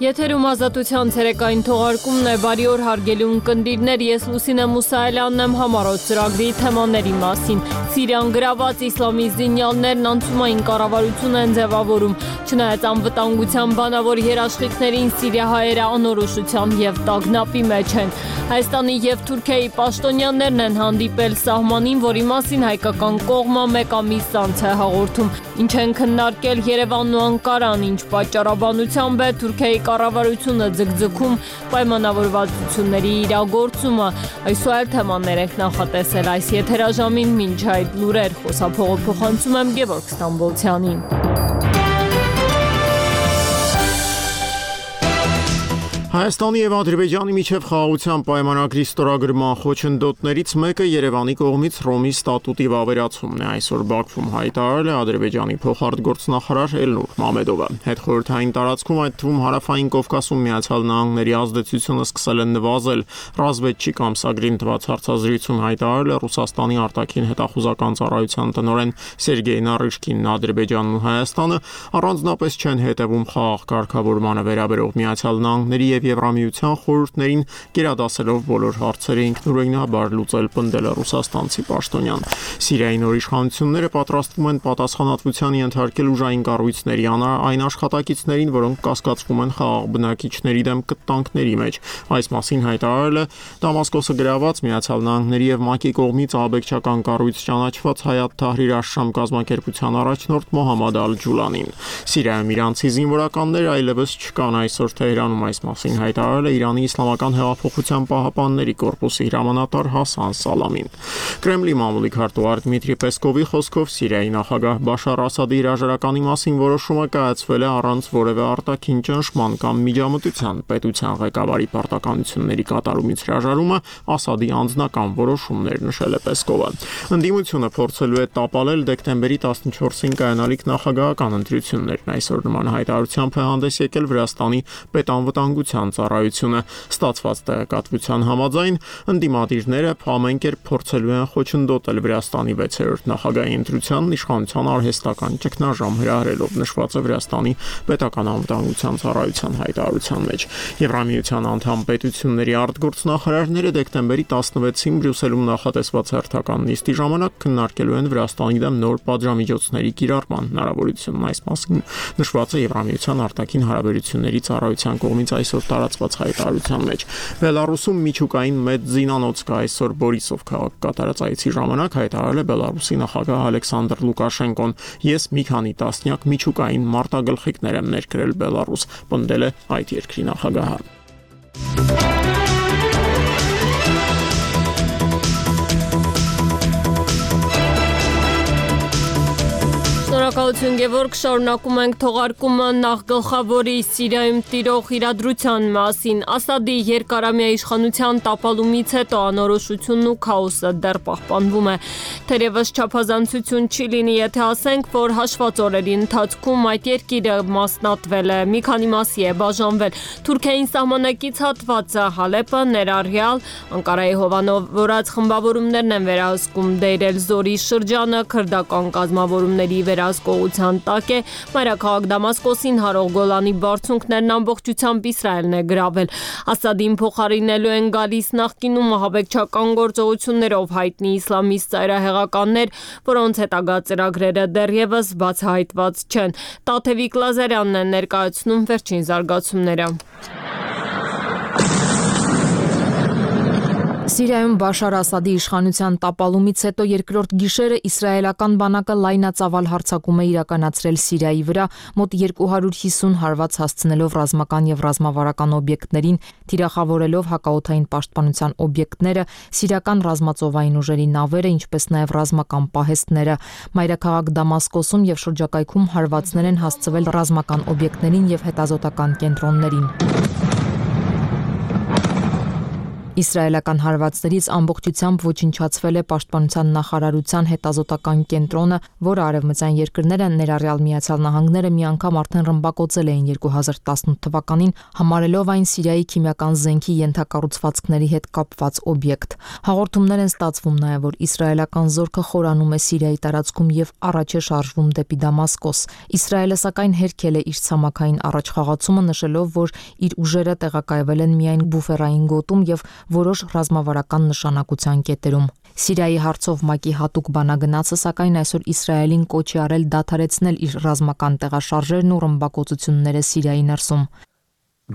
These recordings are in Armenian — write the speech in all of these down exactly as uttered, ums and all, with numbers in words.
Եթերում ազատության ցերեկային թողարկումն է, բարի օր հարգելի ունկնդիրներ, ես Լուսինե Մուսայելյանն եմ համառոտ ծրագրի թեմաների մասին։ Սիրիան գրաված իսլամի զինյալներն անցումային կառավարություն են ձևավորում, չնայած անվտանգության բանավոր երաշխիքներին սիրիահայերը անորոշության և տագնապի մեջ են։ Հայաստանի և Թուրքիայի պաշտոնյաներն են հանդիպել սահմանին, որի մասին հայկական կողմը մեկ ամիս անց է հաղորդում։ Ինչ են քննարկել Երևանն ու Անկարան, ինչ պատճառաբանությամբ է Թուրքիայի կառավարությունը ձգձգում պայմանավորվածությունների իրագործումը։ Այսօր այլ թեմաներ ենք նախատեսել այս եթերաժամին, մինչ այդ լուրեր խոսափողը փոխանցում եմ Գևորգ Ստամբոլցյանին։ Հայաստանի և Ադրբեջանի միջև խաղաղության պայմանագրի ստորագրման խոչընդոտներից մեկը Երևանի կողմից Հռոմի ստատուտի վավերացումն է, այսօր Բաքվում հայտարարել է Ադրբեջանի փոխարտգործնախարար Էլնուր Մամեդովը։ Հետխորհրդային տարածքում, այդ թվում Հարավային Կովկասում Միացյալ Նահանգների ազդեցությունը սկսել է նվազել, Ռազվեդչիկ ամսագրին տված հարցազրույցում հայտարարել է Ռուսաստանի արտաքին հետախուզական ծառայության տնօրեն Սերգեյ Նարիշկինն։ Ադրբեջանն ու Հայաստանը առանձնապես չեն հետևում խաղաղ կարգավորմանը վերաբերող Միացյալ Նահանգների և Եվրամիության խորհուրդներին, գերադասելով բոլոր հարցերը ինքնուրույնաբար լուծել, պնդել է ռուսաստանցի պաշտոնյան։ Սիրիայի նոր իշխանությունները պատրաստվում են պատասխանատվության ենթարկել ուժային կառույցների այն աշխատակիցներին, որոնք կասկածվում են խաղաղ բնակիչների դեմ կտանքների մեջ։ Այս մասին հայտարարել է Դամասկոսը գրաված Միացյալ Նահանգների և ՄԱԿ-ի կողմից ահաբեկչական կառույց ճանաչված Հայաթ Թահրիր աշշամ կազմակերպության առաջնորդ Մոհամմադ Ալ-Ջուլանին։ Սիրիայում իրանցի զինվորականներ այլևս չկան, այսօր Թեհրանում այս մասին հայտարարել է Իրանի Իսլամական հեղափոխության պահապանների կորպուսի հրամանատար Հասան Սալամին։ Կրեմլի մամուլի քարտուղար Դմիտրի Պեսկովի խոսքով Սիրիայի նախագահ Բաշար Ասադի հրաժարականի մասին որոշումը կայացվել է առանց որևէ արտաքին ճնշման կամ միջամտության։ Պետության ղեկավարի պարտականությունների կատարումից հրաժարումը Ասադի անձնական որոշումն էր, նշել է Պեսկովը։ Ընդդիմությունը փորձելու է տապալել դեկտեմբերի տասնչորսին կայանալիք նախագահական ընտրություններն։ Այսօր նման հայտարարությամբ է հանդես եկել Վրաստանի պետանվտանգության ծառայությունը։ Ստացված տեղեկատվության համաձայն ընդդիմադիրները ամեն կերպ փորձելու են խոչընդոտել Վրաստանի վեցերորդ նախագահի ընտրությանն իշխանության արհեստական ճգնաժամ հրահրելով, նշված է Վրաստանի պետական անվտանգության ծառայության հայտարարության մեջ։ Եվրամիության անդամ պետությունների արտգործնախարարները դեկտեմբերի տասնվեցին Բրյուսելում նախատեսված հերթական նիստի ժամանակ քննարկելու են Վրաստանի դեմ նոր պատժամիջոցների կիրառման հնարավորությունն։ Այս մասին նշված է Եվրամիության արտաքին հարաբերությունների ծառայության կողմից այսօր տարածված հայտարարության մեջ։ Բելարուսում միջուկային մեծ զինանոց կա, այսօր Բորիսով քաղաք կատարած այցի ժամանակ հայտարարել է Բելարուսի նախագահ Ալեքսանդր Լուկաշենկոն։ Ես մի քանի տասնյակ միջուկային մարտագլխիկներ եմ ներկրել Բելարուս, պնդել է այդ երկրի նախագահը։ Շնորհակալություն Գևորգ, շարունակում ենք թողարկումը նախ գլխավորի Սիրիայում տիրող իրադրության մասին։ Ասադի երկարամյա իշխանության տապալումից հետո անորոշությունն ու քաոսը դեռ պահպանվում է։ Թերևս չափազանցություն չի լինի, եթե ասենք, որ հաշված օրերի ընթացքում այդ երկիրը մասնատվել է, մի քանի մասի է բաժանվել։ Թուրքիային սահմանակից հատվածը Հալեպը ներառյալ Անկարայի հովանավորած խմբավորումներն են վերահսկում Դեյր էլ-Զորի շրջանը, քրդական կազմավորումների վերահսկողության տակ է։ Մայրաքաղաք Դամասկոսին հարող Գոլանի բարձունքներն ամբողջությամբ Իսրայելն է գրավել։ Ասադին փոխարինելու են գալիս նախկինում ահաբեկչական գործողություններով հայտնի իսլամիստ ծայրահեղականներ, որոնց հետագա ծրագրերը դեռևս բացահայտված չեն։ Տաթևիկ Լազարյանն է ներկայացնում վերջին զարգացումները։ Սիրիայում Բաշար Ասադի իշխանության տապալումից հետո երկրորդ գիշերը իսրայելական բանակը լայնածավալ հարձակում է իրականացրել Սիրիայի վրա, մոտ երկու հարյուր հիսուն հարված հասցնելով ռազմական և ռազմավարական օբյեկտներին, թիրախավորելով հակաօդային պաշտպանության օբյեկտները, սիրիական ռազմածովային ուժերի նավերը, ինչպես նաև ռազմական պահեստները։ Մայրաքաղաք Դամասկոսում և շրջակայքում հարվածներ են հասցվել ռազմական օբյեկտներին և հետազոտական կենտրոններին։ Իսրայելական հարվածներից ամբողջությամբ ոչնչացվել է Պաշտպանության նախարարության հետազոտական կենտրոնը, որը արևմտյան երկրները, ներառյալ Միացյալ Նահանգները, մի անգամ արդեն ռմբակոծել էին երկու հազար տասնութ թվականին, համարելով այն Սիրիայի քիմիական զենքի ենթակառուցվածքների հետ կապված օբյեկտ։ Հաղորդումներ են ստացվում նաև, որ իսրայելական զորքը խորանում է Սիրիայի տարածքում եւ առաջ է շարժվում դեպի Դամասկոս։ Իսրայելը սակայն հերքել է իր ցամաքային առաջխաղացումը, նշելով, որ իր ուժերը տեղակայվել են միայն բուֆերային գոտում եւ որոշ ռազմավարական նշանակության կետերում։ Սիրիայի հարցով ՄԱԿ-ի հատուկ բանագնացը սակայն այսօր Իսրայելին կոչ է արել դադարեցնել իր ռազմական տեղաշարժերն ու ռմբակոծությունները Սիրիայի ներսում։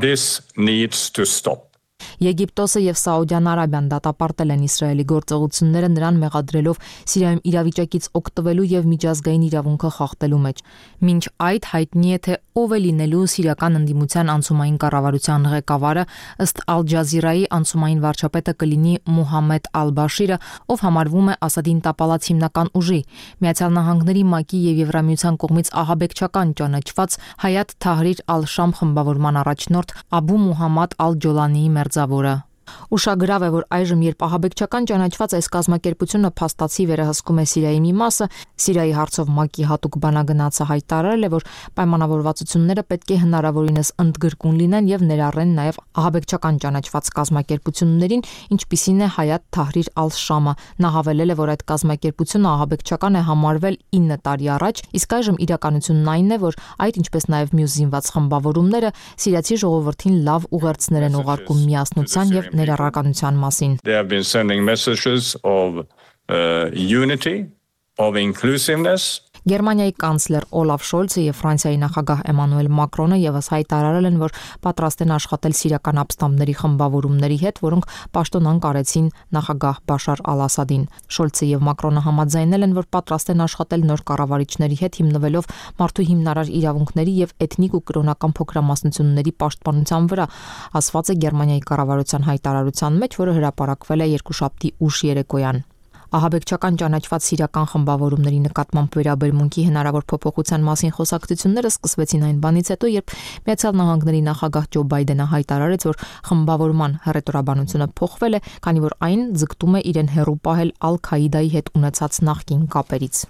This needs to stop. Եգիպտոսը եւ Սաուդյան Արաբիան դատապարտել են Իսրայելի գործողությունները, նրան մեղադրելով Սիրիայում իրավիճակից օգտվելու եւ միջազգային իրավունքը խախտելու մեջ։ Մինչ այդ հայտնի է, թե ով է լինելու սիրիական ընդդիմության անցումային կառավարության ղեկավարը, ըստ Ալ Ջազիրայի անցումային վարչապետը կլինի Մուհամմեդ Ալ-Բաշիրը, ով համարվում է Ասադին տապալած հիմնական ուժի։ Միացյալ Նահանգների ՄԱԿ-ի եւ Եվրամիության կողմից ահաբեկչական ճանաչված Հայաթ Թահրիր Ալ-Շամ խմբավորման առաջնորդ Աբու Մուհամմադ Ալ-Ջոլանիի մերձավորը։ Ուշագրավ է, որ այժմ, երբ ահաբեկչական ճանաչված այս կազմակերպությունը փաստացի վերահսկում է Սիրիայի մի մասը, Սիրիայի հարցով ՄԱԿ-ի հատուկ բանագնացը հայտարարել է, որ պայմանավորվածությունները պետք է հնարավորինս ընդգրկուն լինեն եւ ներառեն նաեւ ահաբեկչական ճանաչված կազմակերպություններին, ինչպիսին է Հայաթ Թահրիր Ալ-Շամը։ Նա հավելել է, որ այդ կազմակերպությունը ահաբեկչական է համարվել ինը տարի առաջ, իսկ այժմ իրականությունն այն է, որ այդ ինչպես նաեւ մյուս զինված խմբավորումները սիրիացի ժողովրդին լավ ուղերձներ են ուղարկում միասնության եւ ներառականության մասին։ They have been sending messages of uh, unity, of inclusiveness. Գերմանիայի կանցլեր Օլաֆ Շոլցը եւ Ֆրանսիայի նախագահ Էմանուել Մակրոնը եւս հայտարարել են, որ պատրաստ են աշխատել սիրիական ապստամբների խմբավորումների հետ, որոնք պաշտոնանկ արեցին նախագահ Բաշար Ալ-Ասադին։ Շոլցը եւ Մակրոնը համաձայնել են, որ պատրաստ են աշխատել նոր կառավարիչների հետ, հիմնվելով մարդու հիմնարար իրավունքների եւ էթնիկ ու կրոնական փոքրամասնությունների պաշտպանության վրա, ասված է Գերմանիայի կառավարության հայտարարության մեջ, որը հրապարակվել է երկուշաբթի ուշ երեկոյան։ Ահաբեկչական ճանաչված սիրիական խմբավորումների նկատմամբ վերաբերմունքի հնարավոր փոփոխության մասին խոսակցությունները սկսվեցին այն բանից հետո, երբ Միացյալ Նահանգների նախագահ Ջո Բայդենը հայտարարեց, որ խմբավորման հռետորաբանությունը փոխվել է, քանի որ այն ձգտում է իրեն հեռու պահել Ալ-Քաիդայի հետ ունեցած նախկին կապերից։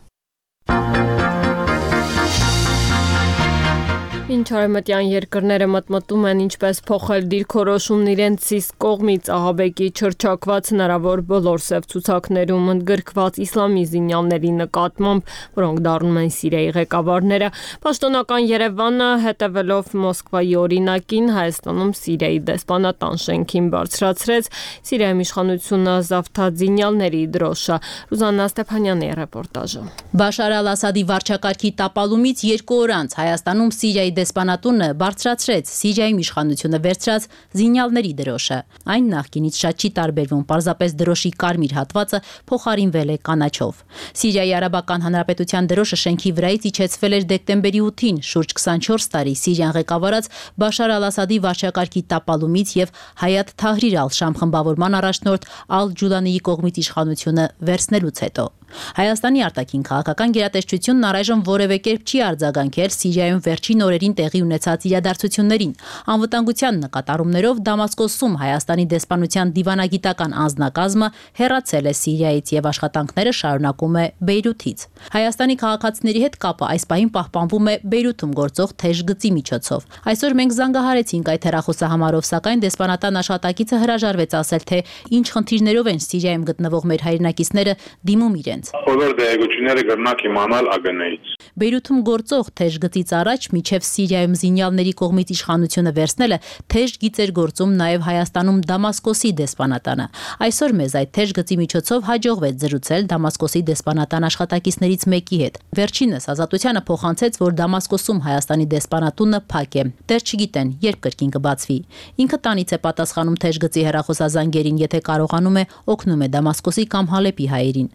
Ինչ արևմտյան երկրները մտմտում են ինչպես փոխել դիրքորոշումն իրենց իսկ կողմից ահաբեկի չրչակված հնարավոր բոլոր սև ցուցակներում ընդգրկված իսլամի զինյալների նկատմամբ, որոնք դառնում են Սիրիայի ղեկավարները, պաշտոնական Երևանը հետևելով Մոսկվայի օրինակին Հայաստանում Սիրիայի դեսպանատան շենքին բարձրացրեց Սիրիայում իշխանությունը զավթած զինյալների դրոշը։ Ռուզաննա Ստեփանյանի ռեպորտաժը։ Բաշար Ալ-Ասադի վարչակարգի տապալումից երկու օր անց Հայաստանում Սիրիայի դեսպանատունը բարձրացրեց Սիրիայում իշխանությունը վերցրած զինյալների դրոշը։ Այն նախկինից շատ չի տարբերվում, պարզապես դրոշի կարմիր հատվածը փոխարինվել է կանաչով։ Սիրիայի Արաբական Հանրապետության դրոշը շենքի վրայից իջեցվել էր դեկտեմբերի ութին, շուրջ քսանչորս տարի Սիրիան ղեկավարած Բաշար Ալ-Ասադի վարչակարգի տապալումից եւ Հայաթ Թահրիր Ալ-Շամ խմբավորման առաջնորդ Ալ-Ջուլանիի կողմից իշխանությունը վերցնելուց հետո։ Հայաստանի արտաքին քաղաքական գերատեսչությունն առայժմ որևէ կերպ չի արձագանքել Սիրիայում վերջին օրերին տեղի ունեցած իրադարձություններին։ Անվտանգության նկատառումներով Դամասկոսում Հայաստանի դեսպանության դիվանագիտական անձնակազմը հեռացել է Սիրիայից եւ աշխատանքները շարունակում է Բեյրութից։ Հայաստանի քաղաքացիների հետ կապը այս պահին պահպանվում է Բեյրութում գործող թեժ գծի միջոցով։ Այսօր մենք զանգահարեցինք այդ հեռախոսահամարով, սակայն դեսպանատան աշխատակիցը հրաժարվեց ասել, թե ինչ խնդիրներով են Սիրիայում գտնվող մեր հայրենակիցները դիմում իրենց։ Բոլոր դեղեցությունները կրնակ իմանալ ԱԳՆ-ից։ Բեյրութում գործող թեժ գծից առաջ միջև Սիրիայում զինյալների կողմից իշխանությունը վերցնելը թեժ գիծ էր գործում նաև Հայաստանում Դամասկոսի դեսպանատանը։ Այսօր մեզ այդ թեժ գծի միջոցով հաջողվեց զրուցել Դամասկոսի դեսպանատան աշխատակիցներից մեկի հետ։ Վերջինս Ազատությանը փոխանցեց, որ Դամասկոսում Հայաստանի դեսպանատունը փակ է։ Դեռ չգիտեն, երբ կրկին կբացվի։ Ինքը տանից է պատասխանում թեժ գծի հեռախոսազանգերին, եթե կարողանում է, օգնում է Դամասկոսի կամ Հալեպի հայերին։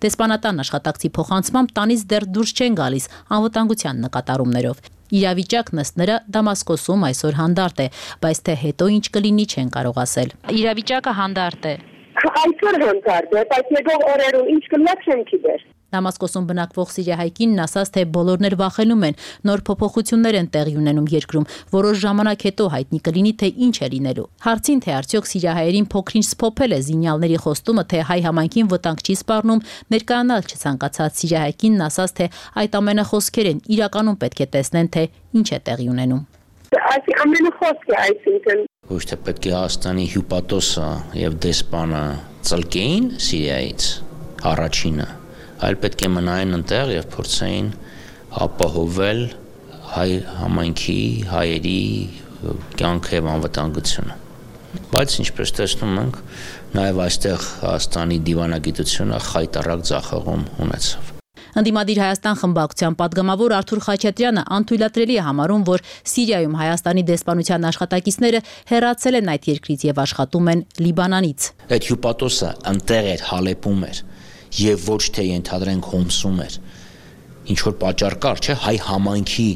Դեսպանատան աշխատակցի փոխանցմամբ տանից դեռ դուրս չեն գալիս անվտանգության նկատառումներով։ Իրավիճակն ըստ նրա Դամասկոսում այսօր հանդարտ է, բայց թե հետո ինչ կլինի չեն կարող ասել։ Իրավիճակը հանդարտ է։ Այսօր հանդարտ է, բայց եկող օրերում ինչ կլինի չեմ գիտեր։ Դամասկոսում բնակվող սիրիահայ կինն ասաց, թե բոլորներ վախենում են, նոր փոփոխություններ են տեղի ունենում երկրում, որոշ ժամանակ հետո հայտնի կլինի, թե ինչ է լինելու։ Հարցին, թե արդյոք սիրիահայերին փոքրինչ սփոփել է զինյալների խոստումը, թե հայ համայնքին վտանգ չի սպառնում, ներկայանալ չցանկացած սիրիահայ կինն ասաց, թե այդ ամենը խոսքեր են, իրականում պետք է տեսնեն, թե ինչ է տեղի ունենում։ Այս ամենը խոսք է, այսինքն ոչ թե պետք է Հայաստանի հյուպատոսը եւ դեսպանը ծլկեին Սիրիայից առաջինը, այլ պետք է մնային այնտեղ եւ փորձեին ապահովել հայ համայնքի, հայերի կյանքը եւ անվտանգությունը։ Բայց ինչպես տեսնում ենք, նաեւ այստեղ Հայաստանի դիվանագիտությունը խայտարակ ձախողում ունեցավ։ Ընդդիմադիր Հայաստան խմբակցության падգամավոր Արթուր Խաչատրյանը անթույլատրելի է համարում, որ Սիրիայում Հայաստանի դեսպանության աշխատակիցները հեռացել են այդ երկրից եւ աշխատում են Լիբանանից։ Այդ հյուպատոսը ընտեղ էր, Հալեպում էր եւ ոչ թե ենթադրենք Հոմսում էր։ Ինչ որ պատճառ կար, չէ՞, հայ համայնքի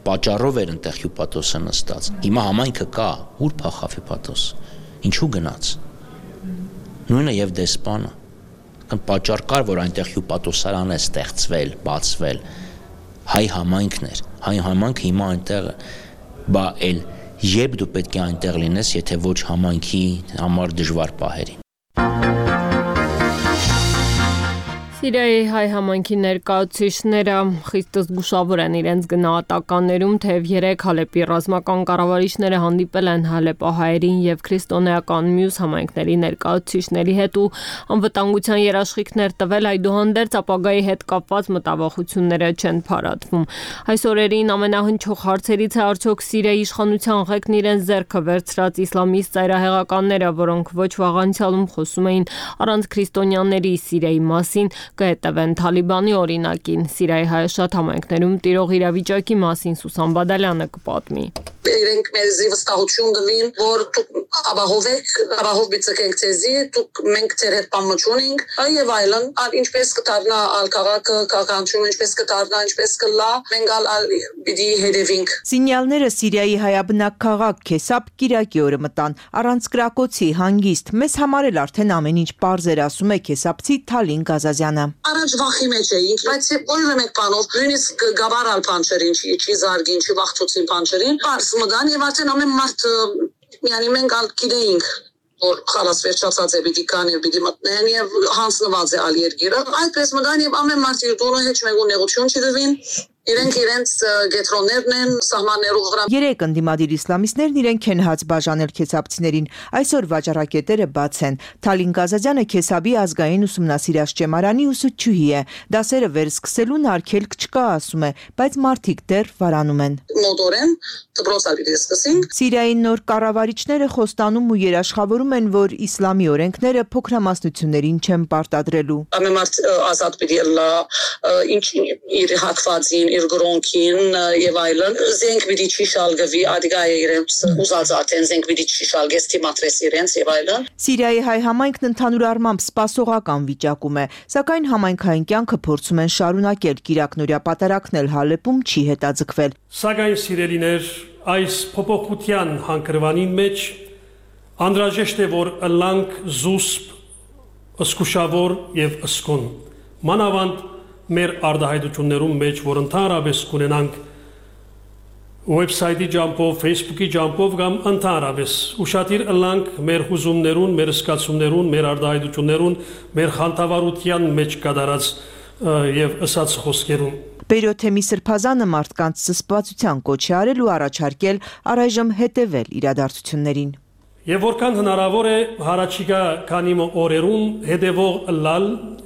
պատճառով էր ընտեղ հյուպատոսը նստած։ Հիմա համայնքը կա, ուր փախավ հյուպատոսը։ Ինչու գնաց։ Նույնը եւ դեսպանը պատճառ կար, որ այնտեղ հյուպատոսարան է ստեղծվել, բացվել, հայ համայնքն էր, հայ համայնքը հիմա այնտեղ, բա էլ երբ դու պետք է այնտեղ լինես, եթե ոչ համայնքի համար դժվար պահերին։ Սիրիայի հայ համայնքի ներկայացուցիչները խիստ զգուշավոր են իրենց գնահատականներում, թեև երեք Հալեպի ռազմական կառավարիչները հանդիպել են հալեպահայերին եւ քրիստոնեական մյուս համայնքների ներկայացուցիչների հետ ու անվտանգության երաշխիքներ տվել, այդուհանդերձ ապագայի հետ կապված մտավախությունները չեն փարատվում։ Այս օրերին ամենահնչող հարցերից է արդյոք Սիրիայի իշխանության ղեկն իրենց ձեռքը վերցրած իսլամիստ ծայրահեղականները, որոնք ոչ վաղ անցյալում խոսում էին առանց քրիստոնյաների Սիրիայի մասին, կհետևեն Թալիբանի օրինակին։ Սիրիայի հայաշատ համայնքներում տիրող իրավիճակի մասին Սուսան Բադալյանը կպատմի։ Իրենք մեզ վստահություն տվին, որ դուք ապահով եք, ապահով բիցկենք ցեզի, դուք մենք ձեր հետ պամոչունենք, եւ այլն, ինչպես կդառնա ալ քաղաքը, քաղաքացիությունը ինչպես կդառնա, ինչպես կլա, մենք ալ պիտի հետևենք։ Սինյալները Սիրիայի հայաբնակ քաղաք Քեսապ Կիրակի օրը մտան, առանց կրակոցի, հանգիստ, մեզ համար էլ արդեն ամեն ինչ պարզ էր, ասում է քեսապցի Թալին Գազազյանը։ Առաջ վախի մեջ էինք, բայց որևէ մեկ բանով նույնիսկ գաբարալ բանջերին, չի զարգին, չի վախցուցին բանջերին, պարզ մգան եւ արդեն ամեն մարդ միանի մենք ալ գիտեինք, որ խալաս վերջացած է պիտի կան եւ պիտի մտնեն եւ հանձնված է ալ երկիրը, այդպես մգան եւ ամեն մարդ իր տունը հեչ մեկ ունեղություն չի դվին։ Իրենք իրենց գետրոններն են սահմաններով վրա։ Երեք ընդդիմադիր իսլամիստներն իրենք են հաց բաժանել քեսապցիներին։ Այսօր վաճառակետերը բաց են։ Թալին Գազազյանը Քեսաբի ազգային ուսումնասիրած ճեմարանի ուսուցչուհի է։ Դասերը վերսկսելուն արգելք չկա, ասում է, բայց մարդիկ դեռ վարանում են։ Մոտորեն դպրոցալի դիսկսինգ։ Սիրիայի նոր կառավարիչները խոստանում ու երաշխավորում են, որ իսլամի օրենքները փոքրամասնություններին չեն պարտադրելու։ Ամեն մարդ ազատ պիտի լա, ինչ իր հակվածին իր գրոնքին եւ այլն զենք պիտի չի շալգվի ադիգա իրենց ուզած ատեն զենք պիտի չի շալգես թիմատրես իրենց եւ այլն։ Սիրիայի հայ համայնքն ընդհանուր առմամբ սպասողական վիճակում է, սակայն համայնքային կյանքը փորձում են շարունակել, կիրակնօրյա պատարակն էլ Հալեպում չի հետաձգվել։ Սակայն սիրելիներ, այս փոփոխության հանգրվանին մեջ անդրաժեշտ է, որ ըլլանք զուսպ, ըսկուշավոր եւ ըսկուն։ Մանավանդ մեր արդահայտություններում մեջ, որ ընդհանրապես կունենանք website-ի ջամփով, Facebook-ի ջամփով կամ ընդհանրապես ուշադիր ըլլանք մեր հուզումներուն, մեր սկացումներուն, մեր արդահայտություններուն, մեր խանդավառության մեջ կատարած եւ ըսած խոսքերուն։ Բերոթեմի Սրբազանը մարդկանց զսպվածության կոչ է արել ու առաջարկել առայժմ հետևել իրադարձություններին։ Եվ որքան հնարավոր է հարաճիգա քանի օրերուն հետևող լալ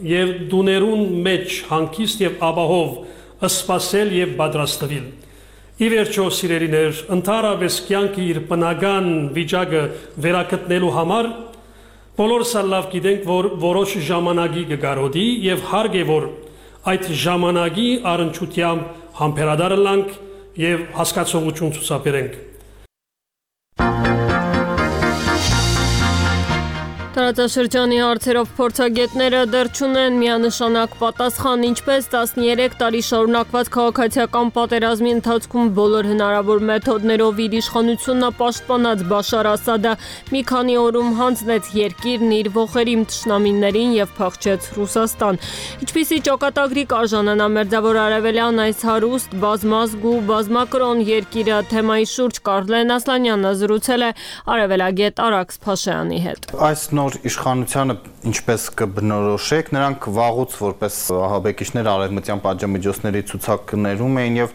եւ դուներուն մեջ հանգիստ եւ ապահով սպասել եւ պատրաստվել։ Ի վերջո սիրելիներ, ընդհանրապես կյանքի իր բնական վիճակը վերակտնելու համար բոլորս լավ գիտենք, որ որոշ ժամանակի կգարոդի եւ հարկ է, որ այդ ժամանակի առընչությամբ համբերադար լանք եւ հասկացողություն ցուցաբերենք։ Տարածաշրջանի հարցերով փորձագետները դեռ չունեն միանշանակ պատասխան, ինչպես տասներեք տարի շարունակված քաղաքացիական պատերազմի ընթացքում բոլոր հնարավոր մեթոդներով իր իշխանությունը պաշտպանած Բաշար Ասադը մի քանի օրում հանձնեց երկիրն իր ողերիմ թշնամիներին եւ փախչեց Ռուսաստան։ Ինչպիսի ճակատագրի կարժանանա մերձավոր արևելյան այս հարուստ, բազմազգու, բազմակրոն երկիրը թեմայի շուրջ Կարլեն Ասլանյանը զրուցել է արևելագետ Արաքս Փաշայանի հետ։ Այս նոր իշխանությանը ինչպես կբնորոշեք, նրանք վաղուց որպես ահաբեկիչներ արևմտյան պատժամիջոցների ցուցակներում էին եւ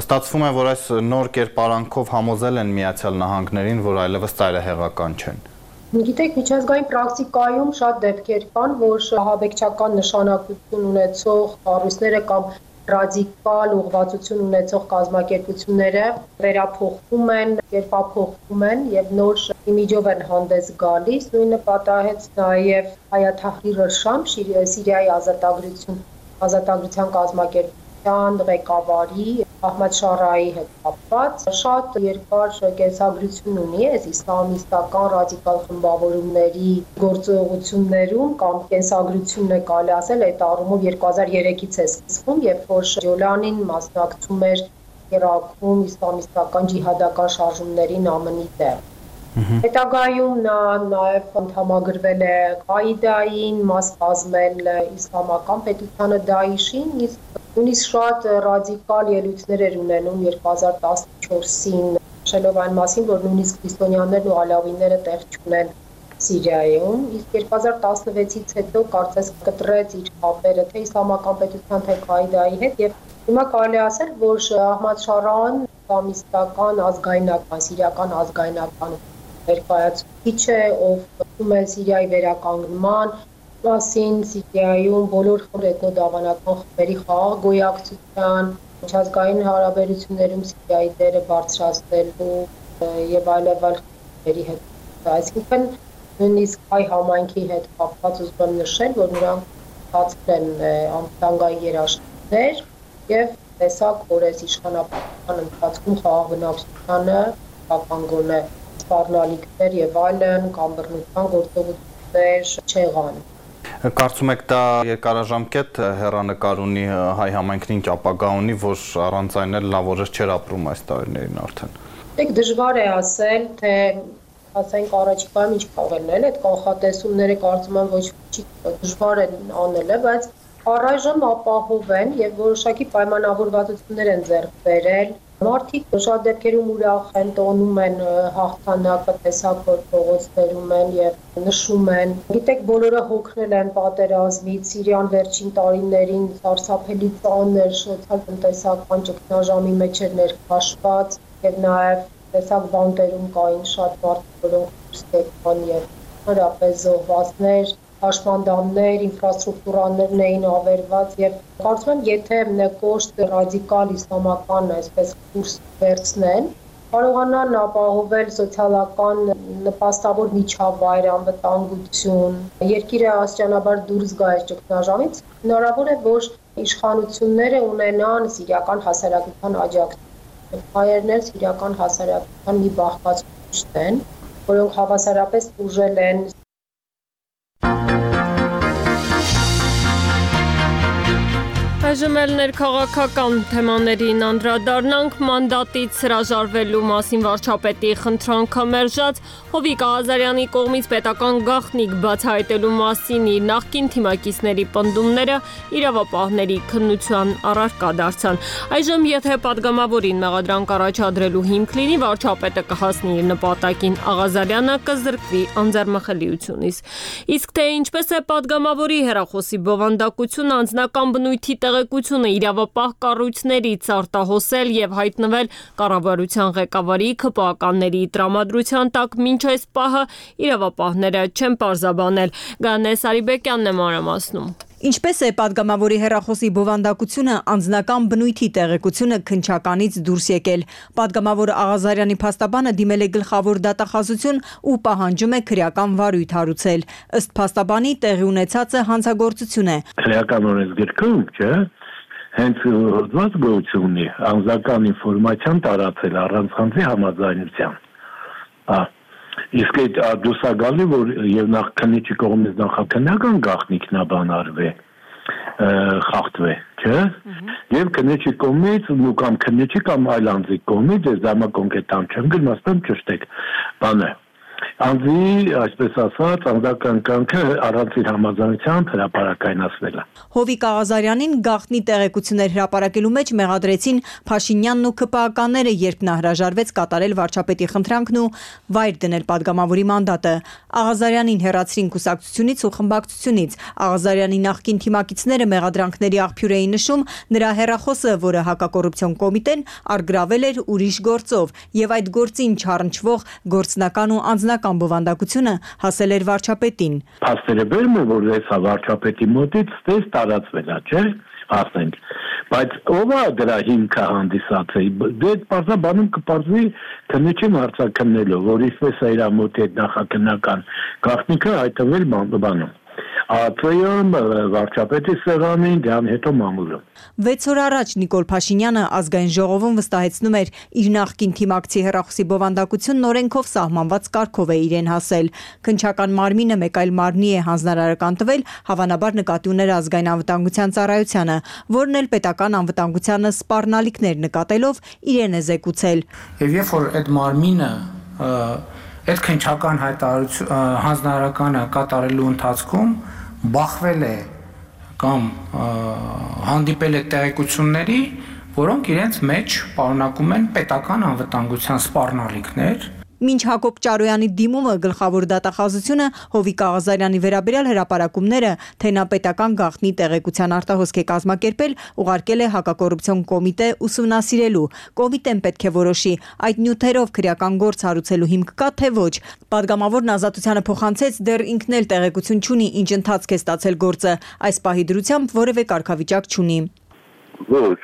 ստացվում է, որ այս նոր կերպարանքով համոզել են Միացյալ Նահանգներին, որ այլևս ծայրահեղական չեն։ Գիտեք, միջազգային պրակտիկայում շատ դեպքեր կան, որ ահաբեկչական նշանակություն ունեցող կառույցները կամ ռադիկալ ուղղվածություն ունեցող կազմակերպությունները վերափոխվում են, կերպափոխվում են եւ նոր իմիջով են հանդես գալիս։ Նույնը պատահեց նաեւ Հայաթ Թահրիր Շամ, Սիրիայի ազատագրություն, ազատագրության կազմակերպության ղեկավարի Ահմադ Շարայի հետ կապված շատ երկար կենսագրություն ունի այս իսլամիստական ռադիկալ խմբավորումների գործողություններում կամ կենսագրությունն է կարելի ասել այդ առումով երկու հազար երեքից է սկսվում, երբ որ Ջոլանին մասնակցում էր Իրաքում իսլամիստական ջիհադական շարժումներին ԱՄՆ-ի տեղ։ Հետագայում նա նաև անդամագրվել է Ղաիդային, մաս կազմել իսլամական պետությանը Դաիշին, իսկ նույնիսկ շատ ռադիկալ ելույթներ էր ունենում երկու հազար տասնչորսին, նշելով այն մասին, որ նույնիսկ քրիստոնյաներն ու ալավիները տեղ չունեն Սիրիայում, իսկ երկու հազար տասնվեցից հետո կարծես կտրեց իր հապերը թե իսլամական պետության, թե Ղաիդայի հետ եւ հիմա կարելի ասել, որ Ահմադ Շարան իսլամիստական ազգայնական, սիրիական ազգայնական ներկայացուցիչ է, ով ում է Սիրիայի վերականգնման մասին, Սիրիայում բոլոր էթնոդավանական խմբերի խաղաղ գոյակցության, միջազգային հարաբերություններում Սիրիայի դերը բարձրացնելու եւ այլև այլ խմբերի հետ։ Այսինքն նույնիսկ հայ համայնքի հետ կապված ուզում եմ նշել, որ նրանք ստացել են անվտանգային երաշխիքներ եւ տեսակ, որ այս իշխանապետության ընթացքում խաղաղ բնակչությանը պահպանվում է սպառնալիքներ եւ այլն կամ բռնության գործողություններ չեղան։ Կարծում եք դա երկարաժամկետ հեռանկար ունի հայ համայնքին ապագա ունի, որ առանց այն էլ լավ օրեր չէր ապրում այս տարիներին արդեն։ Դեք դժվար է ասել, թե ասենք առաջիկայում ինչ կարող է լինել, այդ կանխատեսումները կարծում եմ ոչ չի դժվար են անելը, բայց առայժմ ապահով են եւ որոշակի պայմանավորվածություններ են ձեռք բերել։ Մարդիկ շատ դեպքերում ուրախ են, տոնում են հաղթանակը, տեսակ որ փողոցներում են եւ նշում են։ Գիտեք, բոլորը հոգնել են պատերազմից, Սիրիան վերջին տարիներին սարսափելի ծանր սոցիալ-տնտեսական ճգնաժամի մեջ էր ներքաշված եւ նաեւ տեսակ բանտերում կային շատ մարդիկ, որոնք ստեկան եւ հրապես զոհվածներ, հաշմանդամներ, ինֆրաստրուկտուրաներն էին ավերված եւ կարծում եմ, եթե կոշտ ռադիկալ իսլամական այսպես կուրս վերցնեն, կարողանան ապահովել սոցիալական նպաստավոր միջավայր, անվտանգություն, երկիրը աստիճանաբար դուրս գա այս ճգնաժամից, հնարավոր է, որ իշխանությունները ունենան սիրիական հասարակության աջակցություն։ Հայերն էլ սիրիական հասարակության մի բաղկացուցիչ են, որոնք հավասարապես ուժել են Այժմ էլ ներքաղաքական թեմաներին անդրադառնանք մանդատից հրաժարվելու մասին վարչապետի խնդրանքը մերժած Հովիկ Աղազարյանի կողմից պետական գաղտնիք բացահայտելու մասին իր նախկին թիմակիցների պնդումները իրավապահների քննության առարկա դարձան։ Այժմ եթե падգամավորին մեղադրանք առաջադրելու հիմք լինի, վարչապետը կհասնի իր նպատակին, Աղազարյանը կզրկվի անձեռմխելիությունից։ Իսկ թե ինչպես է падգամավորի հեռախոսի բովանդակությունը անձնական բնույթի տեղեկությունը իրավապահ կառույցներից արտահոսել եւ հայտնվել կառավարության ղեկավարի քպականների տրամադրության տակ մինչ այս պահը իրավապահները չեն պարզաբանել։ Գանե Սարիբեկյանն է մանրամասնում։ Ինչպես է падգամավորի հեռախոսի բովանդակությունը անձնական բնույթի տեղեկությունը քննչականից դուրս եկել։ Падգամավոր Աղազարյանի փաստաբանը դիմել է գլխավոր դատախազություն ու պահանջում է քրեական վարույթ հարուցել։ Ըստ փաստաբանի տեղի ունեցածը հանցագործություն է։ Քրեական օրենսգրքում, չէ՞, հենց հոդված գոյություն ունի անձնական ինֆորմացիան տարածել առանց խնդրի համաձայնության։ Հա Իսկ այդ դուսագալի որ եւ նախ քննիչի կողմից նախաքննական գաղտնիքն է բանարվե խախտվե, չէ՞։ Եվ քննիչի կողմից ու կամ քննիչի կամ այլ անձի կողմից ես դամակոնկետան չեմ գնացել ճշտեք բանը։ Անձի, այսպես ասած, անձական կյանքը առանցին համաձայնությամբ հրապարակայնացվել է։ Հովիկ Աղազարյանին գաղտնի տեղեկություններ հրապարակելու մեջ մեղադրեցին Փաշինյանն ու ՔՊԱ-ականները, երբ նա հրաժարվեց կատարել վարչապետի խնդրանքն ու վայր դնել падգամավորի մանդատը։ Աղազարյանին հեռացրին կուսակցությունից ու խմբակցությունից։ Աղազարյանի նախկին թիմակիցները մեղադրանքների աղբյուր էին նշում նրա հեռախոսը, որը հակակոռուպցիոն կոմիտեն առգրավել էր ուրիշ գործով, եւ այդ գործին չառնչվող գործնական ու անձնական բովանդակությունը հասել էր վարչապետին։ Փաստերը բերում են, որ այս վարչապետի մոտից ստես տարածվել է, չէ՞, ասենք։ Բայց ով է դրա հիմքը հանդիսացել։ Դե բարձրաբանում կպարզվի քննիչին հարցաքննելով, որ ինչպես է իր մոտ այդ նախաքննական գաղտնիքը հայտնվել բանում։ Աթոյում վարչապետի սեղանին դրան հետո մամուլում։ վեց օր առաջ Նիկոլ Փաշինյանը ազգային ժողովում վստահեցնում էր իր նախկին թիմակցի հեռախոսի բովանդակությունն օրենքով սահմանված կարգով է իրեն հասել։ Քննչական մարմինը մեկ այլ մարմնի է հանձնարարական տվել, հավանաբար նկատի ուներ ազգային անվտանգության ծառայությանը, որն էլ պետական անվտանգությանը սպառնալիքներ նկատելով իրեն է զեկուցել։ Եվ երբ որ այդ մարմինը այդ քննչական հայտարարություն հանձնարարականը կատարելու ընթացքում բախվել է կամ հանդիպել է տեղեկությունների, որոնք իրենց մեջ պարունակում են պետական անվտանգության սպառնալիքներ։ Մինչ Հակոբ Ճարոյանի դիմումը գլխավոր դատախազությունը Հովիկ Աղազարյանի վերաբերյալ հրապարակումները, թե նա պետական գաղտնի տեղեկության արտահոսք է կազմակերպել, ուղարկել է հակակոռուպցիոն կոմիտե ուսումնասիրելու։ Կոմիտեն պետք է որոշի այդ նյութերով քրեական գործ հարուցելու հիմք կա, թե ոչ։ Պատգամավորն ազատությանը փոխանցեց, դեռ ինքն էլ տեղեկություն չունի, ինչ ընթացք է ստացել գործը, այս պահի դրությամբ որևէ կարգավիճակ չունի։ Ոչ,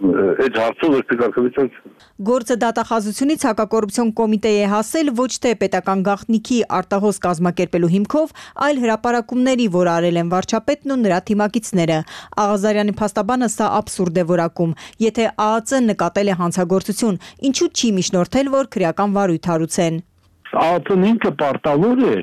այդ հարցով ոչ կարգավիճակ չունի։ Գործը դատախազությունից հակակոռուպցիոն կոմիտեի է հասել ոչ թե պետական գաղտնիքի արտահոս կազմակերպելու հիմքով, այլ հրապարակումների, որ արել են վարչապետն ու նրա թիմակիցները։ Աղազարյանի փաստաբանը սա աբսուրդ է որակում։ Եթե ԱԱԾ-ն նկատել է հանցագործություն, ինչու չի միջնորդել, որ քրեական վարույթ հարուցեն։ ԱԱԾ-ն ինքը պարտավոր է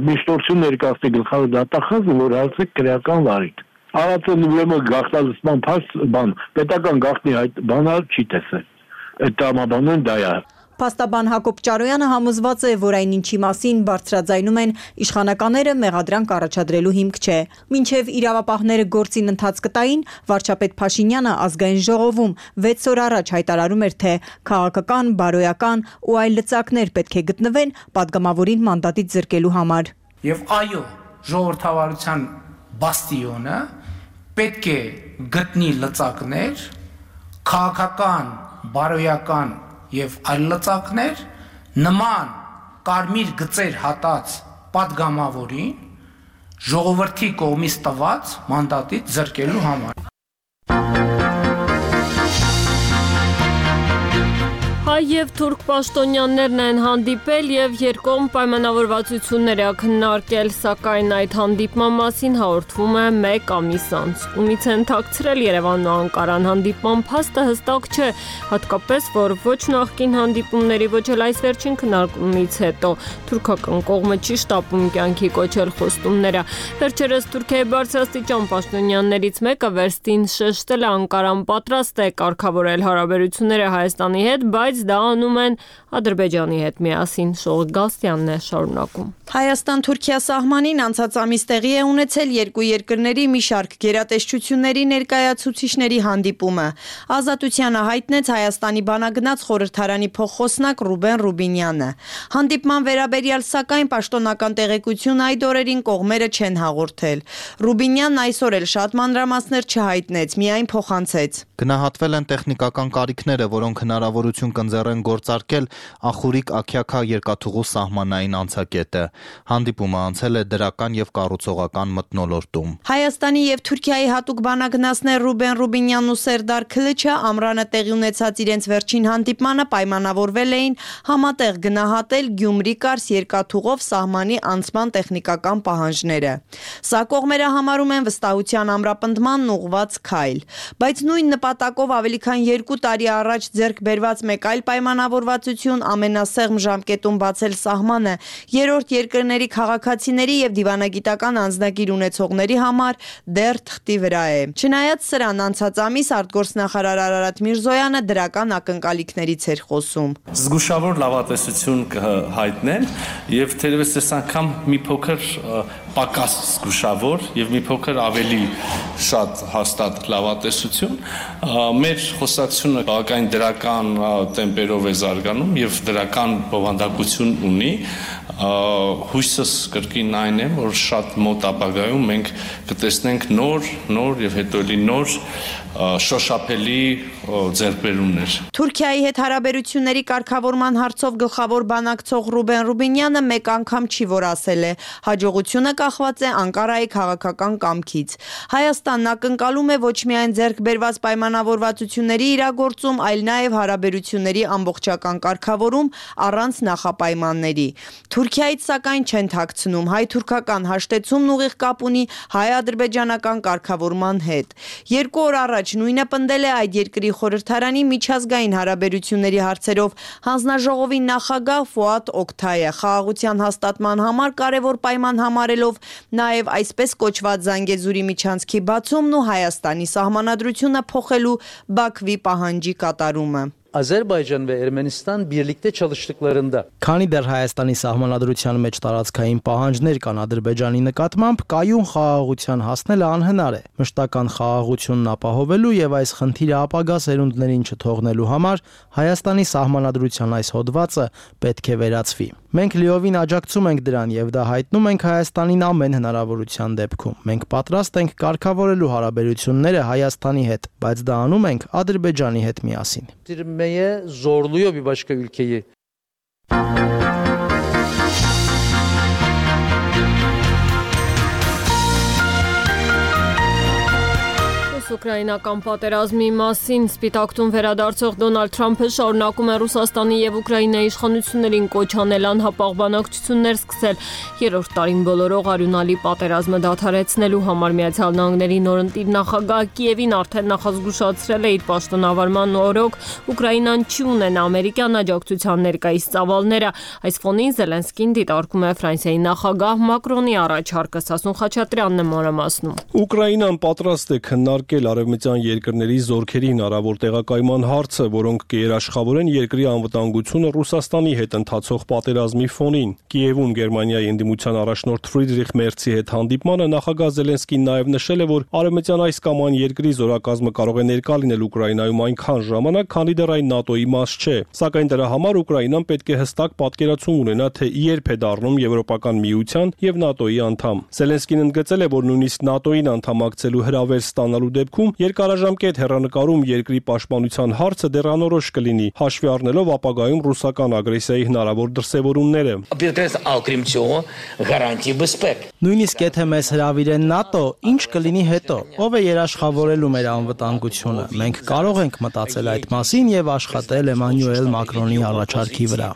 միջնորդություն ներկայացնի գլխավոր դատախազը, որ հարցի քրեական վարույթ։ ԱԱԾ-ն ուրեմն գաղտնալսման փաստ բան պետական գաղտնի այդ բանը չի տեսել։ Այդ տրամաբանն դա է։ Փաստաբան Հակոբ Ճարոյանը համոզված է, որ այն ինչի մասին բարձրաձայնում են իշխանականները մեղադրանք առաջադրելու հիմք չէ։ Մինչև իրավապահները գործին ընթաց կտային, վարչապետ Փաշինյանը ազգային ժողովում վեց օր առաջ հայտարարում էր, թե քաղաքական, բարոյական ու այլ լծակներ պետք է գտնվեն падգամավորին մանդատից զրկելու համար։ Եվ այո, ժողովրդավարության բաստիոնը պետք է գտնի լծակներ, քաղաքական, բարոյական եւ այլ լծակներ նման կարմիր գծեր հատած падգամավորին ժողովրդի կողմից տված մանդատից զրկելու համար։ Հայ եւ թուրք պաշտոնյաներն են հանդիպել եւ երկկողմ պայմանավորվածություններ է քննարկել, սակայն այդ հանդիպման մասին հաղորդվում է մեկ ամիս անց։ Ումից են թաքցրել Երևանն ու Անկարան հանդիպման փաստը հստակ չէ, հատկապես որ ոչ նախկին հանդիպումների, ոչ էլ այս վերջին քննարկումից հետո թուրքական կողմը չի շտապում կյանքի կոչել խոստումները։ Վերջերս Թուրքիայի բարձրաստիճան պաշտոնյաններից մեկը վերստին շեշտել է Անկարան պատրաստ է կարգավորել հարաբերությունները Հայաստանի հետ, բայց դա անում են Ադրբեջանի հետ միասին։ Շողիկ Գալստյանն է շարունակում։ Հայաստան-Թուրքիա սահմանին անցած ամիս տեղի է ունեցել երկու երկրների մի շարք գերատեսչությունների ներկայացուցիչների հանդիպումը։ Ազատությանը հայտնեց Հայաստանի բանագնաց խորհրդարանի փոխխոսնակ Ռուբեն Ռուբինյանը։ Հանդիպման վերաբերյալ սակայն պաշտոնական տեղեկություն այդ օրերին կողմերը չեն հաղորդել։ Ռուբինյանն այսօր էլ շատ մանրամասներ չհայտնեց, միայն փոխանցեց։ Գնահատվել են տեխնիկական կարիքները, որոնք հնարավորություն կընձեռեն գործարկել Ախուրիկ-Աքյաքա երկաթուղու սահմանային անցակետը։ Հանդիպումը անցել է դրական եւ կառուցողական մթնոլորտում։ Հայաստանի եւ Թուրքիայի հատուկ բանագնացներ Ռուբեն Ռուբինյանն ու Սերդար Քլիչը ամռանը տեղի ունեցած իրենց վերջին հանդիպմանը պայմանավորվել էին համատեղ գնահատել Գյումրի-Կարս երկաթուղով սահմանի անցման տեխնիկական պահանջները։ Սա կողմերը համարում են վստահության ամրապնդմանն ուղղված քայլ, բայց նույն նպատակով ավելի քան երկու տարի առաջ ձեռք բերված մեկ այլ պայմանավորվածություն ամենասեղմ ժամկետում բացել սահմանը երրորդ երկրների քաղաքացիների եւ դիվանագիտական անձնագիր ունեցողների համար դեռ թղթի վրա է։ Չնայած սրան, անցած ամիս արտգործնախարար Արարատ Միրզոյանը դրական ակնկալիքներից էր խոսում։ Զգուշավոր լավատեսություն կհայտնեն եւ թերևս այս անգամ մի փոքր պակաս զգուշավոր եւ մի փոքր ավելի շատ հաստատ լավատեսություն մեր խոսակցությունը բավական դրական տեմպերով է զարգանում եւ դրական բովանդակություն ունի հույսս կրկին այն է որ շատ մոտ ապագայում մենք կտեսնենք նոր նոր եւ հետո էլի նոր շոշափելի ձեռքբերումներ։ Թուրքիայի հետ հարաբերությունների կարգավորման հարցով գլխավոր բանակցող Ռուբեն Ռուբինյանը մեկ անգամ չի որ ասել է հաջողությունը կախված է Անկարայի քաղաքական կամքից։ Հայաստանն ակնկալում է ոչ միայն ձեռքբերված պայմանավորվածությունների իրագործում, այլ նաև հարաբերությունների ամբողջական կարգավորում առանց նախապայմանների։ Թուրքիայից սակայն չեն թաքցնում հայ-թուրքական հաշտեցումն ուղիղ կապ ունի հայ-ադրբեջանական կարգավորման հետ։ Երկու օր առաջ նույնը պնդել է այդ երկրի խորհրդարանի միջազգային հարաբերությունների հարցերով հանձնաժողովի նախագահ Ֆուադ Օկթայը խաղաղության հաստատման համար կարևոր պայման համարելով նաև այսպես կոչված Զանգեզուրի միջանցքի բացումն ու Հայաստանի սահմանադրությունը փոխելու Բաքվի պահանջի կատարումը։ Azerbaycan ve Ermenistan birlikte çalıştıklarında Քանի դեռ Հայաստանի սահմանադրության մեջ տարածքային պահանջներ կան Ադրբեջանի նկատմամբ, կայուն խաղաղության հասնելը անհնար է։ Մշտական խաղաղությունն ապահովելու եւ այս խնդիրը ապագա սերունդներին չթողնելու համար Հայաստանի սահմանադրության այս հոդվածը պետք է վերացվի։ Մենք լիովին աջակցում ենք դրան եւ դա հայտնում ենք Հայաստանին ամեն հնարավորության դեպքում։ Մենք պատրաստ ենք կարգավորելու հարաբերությունները Հայաստանի հետ, բայց դա անում ենք Ադրբեջանի հետ միասին։ zorluyor bir başka ülkeyi. Ուկրաինական պատերազմի մասին Սպիտակտուն վերադարձող Դոնալդ Թրամփը շարունակում է Ռուսաստանի եւ Ուկրաինայի իշխանություններին կոչ անել անհապաղ բանակցություններ սկսել երրորդ տարին բոլորող արյունալի պատերազմը դադարեցնելու համար Միացյալ Նահանգների նորընտիր նախագահ Կիևին արդեն նախազգուշացրել է իր պաշտոնավարման օրոք Ուկրաինան չի ունենա ամերիկյան աջակցության ներկայիս ծավալները։ Այս ֆոնին Զելենսկին դիտարկում է Ֆրանսիայի նախագահ Մակրոնի առաջարկը, Սասուն Խաչատրյանն է մանրամասնում։ Ուկրաինան պատրաստ է քննարկել արևմտյան երկրների զորքերի հնարավոր տեղակայման հարցը, որոնք կերաշխավորեն երկրի անվտանգությունը Ռուսաստանի հետ ընթացող պատերազմի ֆոնին։ Կիևում Գերմանիայի ընդդիմության առաջնորդ Ֆրիդրիխ Մերցի հետ հանդիպմանը նախագահ Զելենսկին նաև նշել է, որ արևմտյան այս կամ այն երկրի զորակազմը կարող է ներկա լինել Ուկրաինայում այնքան ժամանակ, քանի դեռ այն ՆԱՏՕ-ի մաս չէ։ Սակայն դրա համար Ուկրաինան պետք է հստակ պատկերացում ունենա, թե երբ է դառնում Եվրոպական միության եւ ՆԱՏՕ-ի անդամ։ Զելենսկին ընդգծել է, որ նույնիսկ ՆԱՏՕ-ին անդամակցելու հրավեր ստանալու դեպքում երկարաժամկետ հեռանկարում երկրի պաշտպանության հարցը դեռանորոշ կլինի, հաշվի առնելով ապագայում ռուսական ագրեսիայի հնարավոր դրսևորումները։ Նույնիսկ եթե մեզ հրավիրեն ՆԱՏՕ, ինչ կլինի հետո, ով է երաշխավորելու մեր անվտանգությունը։ Մենք կարող ենք մտածել այդ մասին եւ աշխատել Էմանուել Մակրոնի առաջարկի վրա։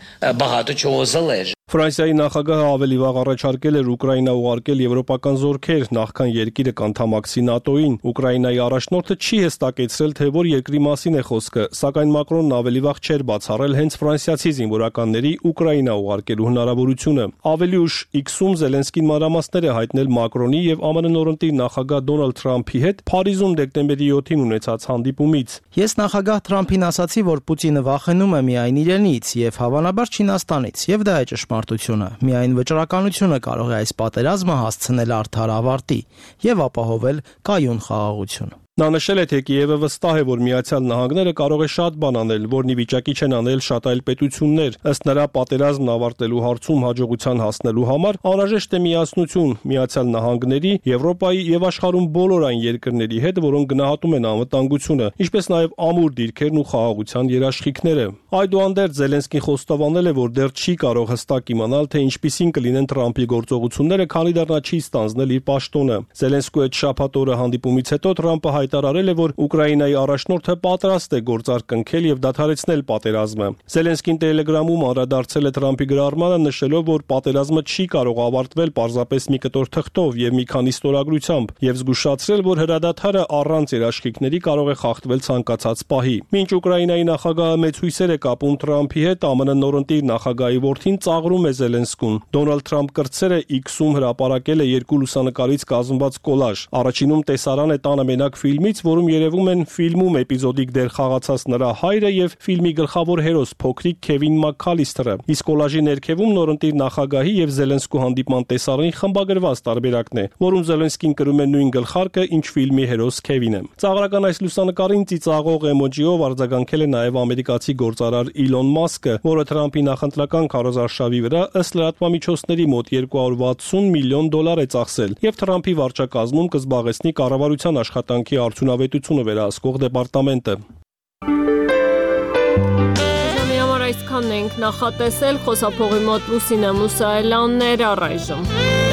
Ֆրանսիայի նախագահը ավելի վաղ առաջարկել էր Ուկրաինա ուղարկել եվրոպական զորքեր, նախքան երկիրը կանթամակցի ՆԱՏՕ-ին։ Ուկրաինայի առաջնորդը չի հստակեցրել, թե որ երկրի մասին է խոսքը, սակայն Մակրոնն ավելի վաղ չէր բացառել հենց ֆրանսիացի զինվորականների Ուկրաինա ուղարկելու հնարավորությունը։ Ավելի ուշ X-ում Զելենսկին մանրամասներ է հայտնել Մակրոնի եւ ԱՄՆ նորընտիր նախագահ Դոնալդ Թրամփի հետ Փարիզում դեկտեմբերի յոթին ունեցած հանդիպումից։ Ես նախագահ Թրամփին ասացի, որ Պուտինը վախենում է միայն իրենից եւ հավանաբար Չինաստանից, եւ դա է ճշմարտությունը։ Միայն վճռականությունը կարող է այս պատերազմը հասցնել արդար ավարտի եւ ապահովել կայուն խաղաղություն։ Նա նշել է, թե Կիևը վստահ է, որ Միացյալ Նահանգները կարող է շատ բան անել, որն ի վիճակի չեն անել շատ այլ պետություններ։ Ըստ նրա, պատերազմն ավարտելու հարցում հաջողության հասնելու համար անհրաժեշտ է միասնություն Միացյալ Նահանգների, Եվրոպայի եւ աշխարհում բոլոր այն երկրների հետ, որոնք գնահատում են անվտանգությունը, ինչպես նաեւ ամուր դիրքերն ու խաղաղության երաշխիքները։ Այդուհանդերձ Զելենսկին խոստովանել է, որ դեռ չի կարող հստակ իմանալ, թե ինչպիսին կլինեն Թրամփի գործողությունները, քանի դեռ նա չի ստանձնել իր պաշտոնը։ Զելենսկու հետ շաբաթ օրը հանդիպումից հետո Թրամփը հայտարարել է, որ Ուկրաինայի առաջնորդը պատրաստ է գործարք կնքել եւ դադարեցնել պատերազմը։ Զելենսկին Telegram-ում անդրադարձել է Թրամփի գրառմանը, նշելով, որ պատերազմը չի կարող ավարտվել պարզապես մի կտոր թղթով եւ մի քանի ստորագրությամբ, եւ զգուշացրել, որ հրադադարը առանց երաշխիքների կարող է խախտվել ցանկացած պահի։ Մինչ Ուկրաինայի նախագահը մեծ հույսեր է կապում Թրամփի հետ, ԱՄՆ նորընտիր նախագահի որդին ծաղրում է Զելենսկուն։ Դոնալդ Թրամփ կրտսերը X-ում հրապարակել է երկու լուսանկարից կազմված կոլաժ։ Առաջինում տեսարան է տանը մենակ ֆիլմից, որում երևում են ֆիլմում էպիզոդիկ դեր խաղացած նրա հայրը եւ ֆիլմի գլխավոր հերոս փոքրիկ Քևին Մաքքալիսթերը։ Իսկ կոլաժի ներքևում նորընտիր նախագահի եւ Զելենսկու հանդիպման տեսարանի խմբագրված տարբերակն է, որում Զելենսկին կրում է նույն գլխարկը, ինչ ֆիլմի հերոս Քևինը։ Ծաղրական այս լուսանկարին ծիծաղող էմոջիով արձագանքել է նաեւ ամերիկացի գործարար Իլոն Մասկը, որը Թրամփի նախընտրական քարոզարշավի վրա ըստ լրատվամիջոցների մոտ երկու հարյուր վաթսուն միլիոն դոլար է ծախսել եւ Թրամփի վարչակազմում կզբաղեցնի կառավարության աշխատանքի արդյունավետությունը վերահսկող դեպարտամենտը։ Այսքանն ենք նախատեսել, խոսափողի մոտ Լուսինե Մուսայելյանն էր, առայժմ։